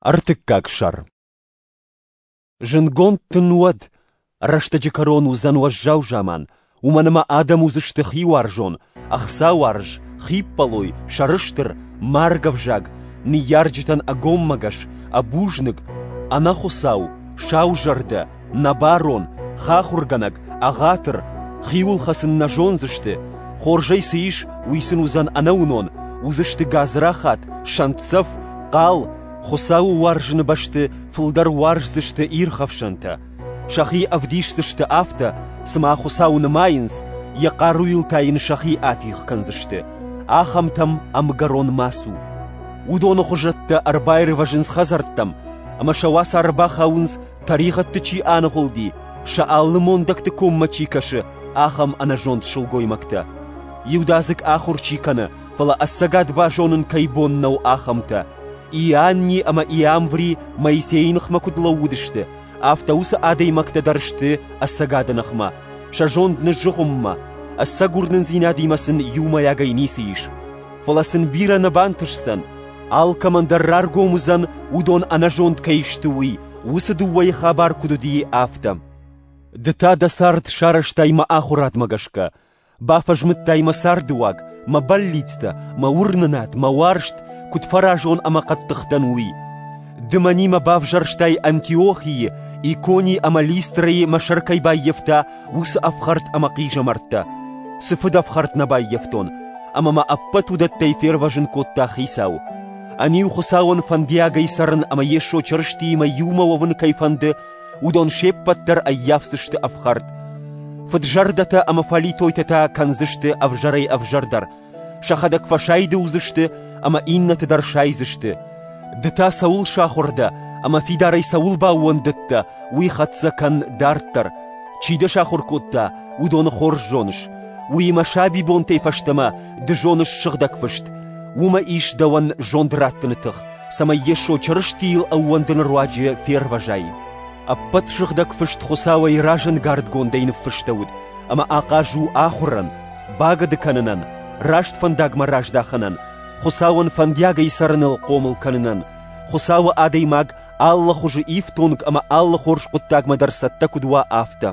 Ӕртыккаг сӕр. Зындгонд дын уӕд, рӕстӕджы кӕрон уыдзӕн уӕззау заман, уымӕн ӕмӕ адӕм уыдзысты хиуарзон, ӕхцауарз, хиппӕлой, сӕрыстыр, маргӕвзаг, ныййарджытӕн ӕгоммӕгӕс, ӕбузныг, ӕнӕхуыцау, саузӕрдӕ, нӕбарон, хахуыргӕнӕг, ӕгъатыр, хиуыл хӕцын нӕ зондзысты, хорзӕй цы ис, уый сын уыдзӕн ӕнӕуынон, уыдзысты гадзрахат, сӕнтдзӕф, хъал, Хуыцауы уарзыны бӕсты фылдӕр уарздзысты ирхӕфсӕнтӕ. Сӕхи ӕвдисдзысты афтӕ, цыма Хуыцауы нымайынц, йӕ хъаруйыл та йын сӕхи атигъ кӕндзысты. Ахӕмтӕм ӕмгӕрон ма цу. Уыдоны хуызӕттӕ ӕрбаирвӕзынц хӕдзӕрттӕм, ӕмӕ сӕ уацары бахауынц, тӕригъӕдты чи аныгъуылди, сӕ алы мондӕгты коммӕ чи кӕсы, ахӕм ӕнӕзонд сылгоймӕгтӕ. Иудадзыг ахуыр чи кӕны, фӕлӕ ӕцӕгад базонын кӕй бон нӕу, ахӕмтӕ. Иоанни ӕмӕ Иамври Моисейы ныхмӕ куыд лӕууыдысты, афтӕ уыцы адӕймӕгтӕ дӕр сты ӕцӕгады ныхмӕ, сӕ зонд ныззыгъуыммӕ, ӕцӕг уырнындзинадимӕ сын иумӕйагӕй ницы ис. Фӕлӕ сын бирӕ нӕ бантысдзӕн, алкӕмӕн дӕр раргом уыдзӕн, уыдон ӕнӕзонд кӕй сты, уый, уыцы дыууӕйы хабар куыд уыди, афтӕ. Ды та дӕ цард сарӕзтай мӕ ахуырадмӕ гӕсгӕ, бафӕзмыдтай мӕ цардыуаг, мӕ бӕллицтӕ, мӕ уырнынад, мӕ уарзт, куыд фӕразон ӕмӕ хъӕддых дӕн, уый. Ды мӕнимӕ бавзӕрстай Антиохийы, Икони ӕмӕ Листрӕйы мӕ сӕр кӕй баййӕфта, уыцы ӕфхӕрд ӕмӕ хъизӕмӕрттӕ. Цы фыдӕфхӕрд нӕ баййӕфтон, ӕмӕ мӕ ӕппӕт уыдӕттӕй фервӕзын кодта Хицау. Ӕниу Хуыцауӕн фӕндиагӕй цӕрын ӕмӕ Йесо Чырыстиимӕ иумӕ уӕвын кӕй фӕнды, уыдон се ппӕт дӕр ӕййафдзысты ӕфхӕрд. Фыд-зӕрдӕтӕ ӕмӕ фӕлитойтӕ та кӕндзысты ӕвзӕрӕй-ӕвзӕрдӕр, сӕхӕдӕг фӕсайды уыдзысты ӕмӕ иннӕты дӕр сайдзысты. Ды та цӕуыл сахуыр дӕ ӕмӕ фидарӕй цӕуыл баууӕндыдтӕ, уый хӕццӕ кӕн дарддӕр. Чи дӕ сахуыр кодта, уыдоны хорз зоныс. Уыимӕ сабибонтӕй фӕстӕмӕ ды зоныс Сыгъдӕг Фыст. Уымӕ ис дӕуӕн зонд раттыны тых, цӕмӕй Йесо Чырыстийыл ӕууӕндыны руаджы фервӕзай. Ӕппӕт Сыгъдӕг Фыст Хуыцауӕй разӕнгардгондӕй ныффыстӕуыд ӕмӕ ахъаз у ахуырӕн, багӕды кӕнынӕн, раст фӕндагмӕ раздахынӕн, Хуыцауӕн фӕндиагӕй цӕрыныл хъомыл кӕнынӕн, Хуыцауы адӕймаг алы хуызы ифтонг ӕмӕ алы хорз хъуыддагмӕ дӕр цӕттӕ куыд уа, афтӕ.